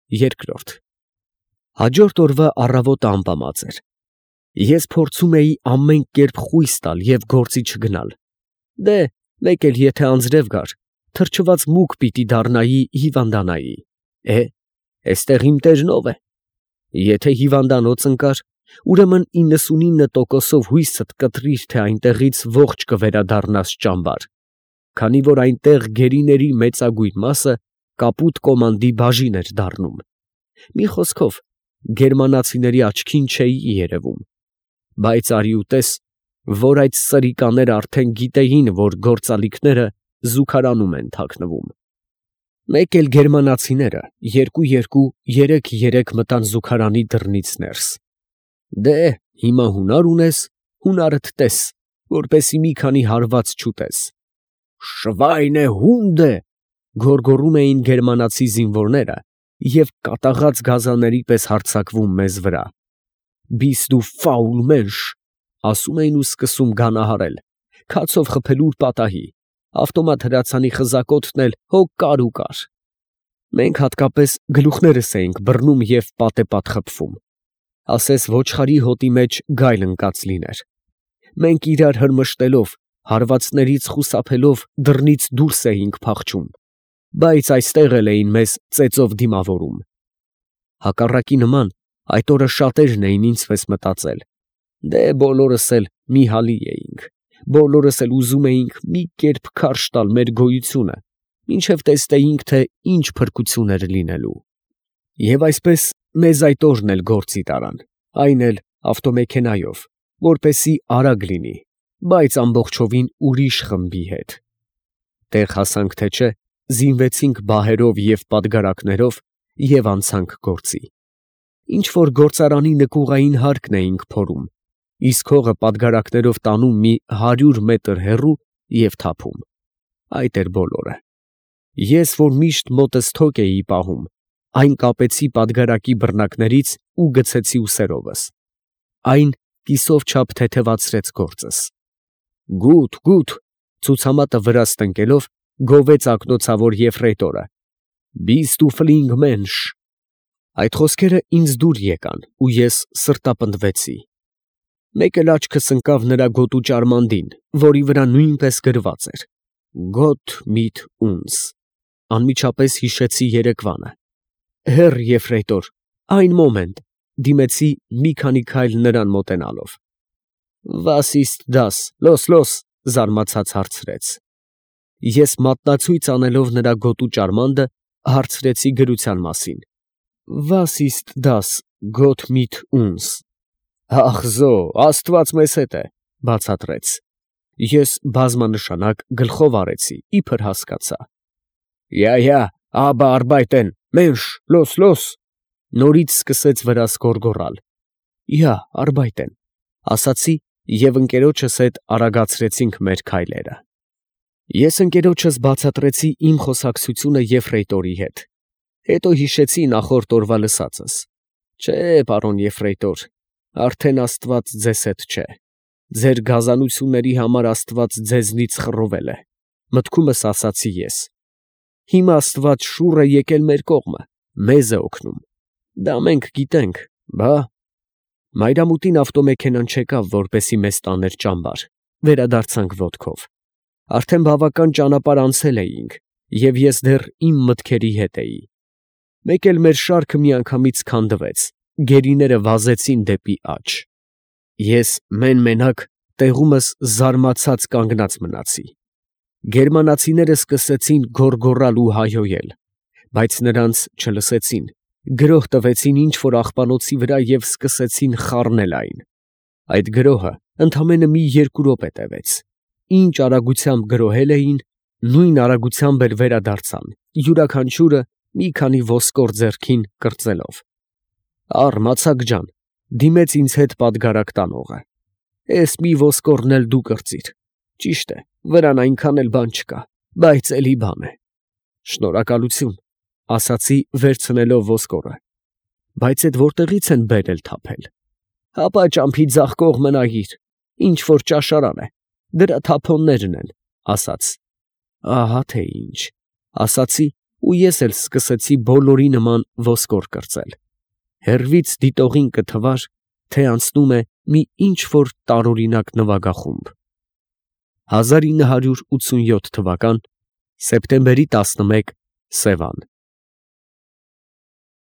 Երկրորդ Հաջորդ օրվա առավոտը ամպամած էր։ Ես փորձում էի ամեն կերպ խույս տալ և գործի չգնալ։ Դե, մեկ էլ եթե անձրև գար, թրջված մուկ պիտի դառնայի, հիվանդանայի։ Էստեղ իմ տերն ով է։ Եթե հիվանդանոց ընկար, ուրեմն 99%-ով հույսդ կտրիր, թե այնտեղից ողջ կվերադառնաս ճամբար, քանի որ այնտեղ գերիների մեծագույն մասը կապուտ կոմանդի բաժին էր դառնում։ Մի խոսքով, գերմանացիների աչքին չէի երևում, բայց արի ու տես, որ այդ սրիկաները արդեն գիտեին, որ գործալիքները զուգարանում են թաքնվում։ Մեկ էլ գերմանացիները երկու, երեք մտան զուգարանի դռնից ներս։ Դե, հիմա հունար ունես, հունարդ տես, որպեսի մի քանի հարված չուտես։ Շվայնե հունդե, գոռգոռում էին գերմանացի զինվորները և կատաղած գազանների պես հարձակվում մեզ վրա։ Bist du faul Mensch, ասում էին ու սկսում գանահարել, քացով խփել ուրպատահի, ավտոմատ հրացանի խզակոթն էլ հո կար ու կար։ Մենք հատկապես գլուխներս էինք բռնում և պատեպատ խփվում, ասես ոչխարի հոտի մեջ գայլ ընկած լիներ։ Մենք իրար հրմշտելով, հարվածներից խուսափելով դռնից դուրս էինք փախչում, բայց այստեղ էլ էին մեզ ծեծով դիմավորում։ Հակառակի նման, այդ օրը շատերն էին ինձպես մտածել. դե բոլորս էլ մի հալի էինք, բոլորս էլ ուզում էինք մի կերպ քարշ տալ մեր գոյությունը, մինչև տեսնեինք, թե ինչ փրկություն էր լինելու։ Եվ այսպես մեզ այդ օրն էլ գործի տարան, այն էլ ավտոմեքենայով, որպեսի արագ լինի, բայց ամբողջովին ուրիշ խմբի հետ։ Տեղ հասանք թե չէ, զինվեցինք բահերով և պատգարակներով և անցանք գործի։ Ինչ որ գործարանի նկուղային հարկն էինք փորում, իսկ հողը պատգարակներով տանում մի 100 մետր հեռու և թափում։ Այդ էր բոլորը։ Ես, որ միշտ մոտս թոկ էի պահում, այն կապեցի պատգարակի բռնակներից ու գցեցի ուսերովս։ Այն կիսով չափ թեթևացրեց գործս։ Գութ, ցուցամատը վրաս տնկելով, գովեց ակնոցավոր եֆրեյտորը։ Bist du flinke Mensch։ Այդ խոսքերը ինձ դուր եկան, ու ես սրտապնդվեցի։ Մեկ էլ աչքս ընկավ նրա գոտու ճարմանդին, որի վրա նույնպես գրված էր. Gott mit uns։ Անմիջապես հիշեցի երեկվանը։ Հեռ եֆրեյտոր, այն մոմենտ, դիմեցի մի քանի քայլ նրան մոտենալով։ Was ist das, los, զարմացած հարցրեց։ Ես մատնացույց անելով նրա գոտու ճարմանդը, հարցրեցի գրության մասին։ Was ist das, Gott mit uns։ Ախ զո, Աստված մեզ հետ է, բացատրեց։ Ես բազմանշանակ գլխով արեցի, իբր հասկացա։ Ja, aber arbeiten, Mensch, los։ Նորից սկսեց վրաս գոռգոռալ։ Ja, arbeiten, ասացի և ընկերոջս հետ արագացրեցինք մեր քայլերը։ Ես ընկերոջս բացատրեցի իմ խոսակցությունը եֆրեյտորի հետ։ Հետո հիշեցի նախորդ օրվա լսածս։ Չէ, պարոն եֆրեյտոր, արդեն Աստված ձեզ հետ չէ։ Ձեր գազանությունների համար Աստված ձեզնից խռովել է, մտքումս ասացի ես։ Հիմա Աստված շուռ է եկել մեր կողմը, մեզ է օգնում։ Դա մենք գիտենք, բա։ Մայրամուտին ավտոմեքենան չեկավ, որպեսի մեզ տաներ ճամբար, վերադարձանք ոտքով։ Արդեն բավական ճանապարհ անցել էինք, և ես դեռ իմ մտքերի հետ էի։ Մեկ էլ մեր շարքը միանգամից քանդվեց, գերիները վազեցին դեպի աջ։ Ես մեն֊մենակ տեղումս զարմացած կանգնած մնացի։ Գերմանացիները սկսեցին գոռգոռալ ու հայհոյել, բայց նրանց չլսեցին, գրոհ տվեցին ինչ-որ աղբանոցի վրա և սկսեցին խառնել այն։ Այդ գրոհը ընդամենը մի 2 րոպե տևեց։ Ինչ արագությամբ գրոհել էին, նույն արագությամբ էլ վերադարձան, յուրաքանչյուրը մի քանի ոսկոր ձեռքին կրծելով։ Առ Մացակ ջան, դիմեց ինձ հետ պատգարակ տանողը։ Էս մի ոսկորն էլ դու կրծիր։ Ճիշտ է, վրան այնքան էլ բան չկա, բայց էլի բան է։ Շնորհակալություն, ասացի վերցնելով ոսկորը։ Բայց էդ որտեղից են բերել թափել։ Հապա ճամփի ձախ կողմը նայիր, ինչ որ ճաշարան է, դրա թափոններն են, ասաց։ Ահա թե ինչ, ասացի ու ես էլ սկսեցի բոլորի նման ոսկոր կրծել. հեռվից դիտողին կթվար, թե անցնում է մի ինչ֊որ տարօրինակ նվագախումբ։ 1987 թվական սեպտեմբերի 11 Սևան։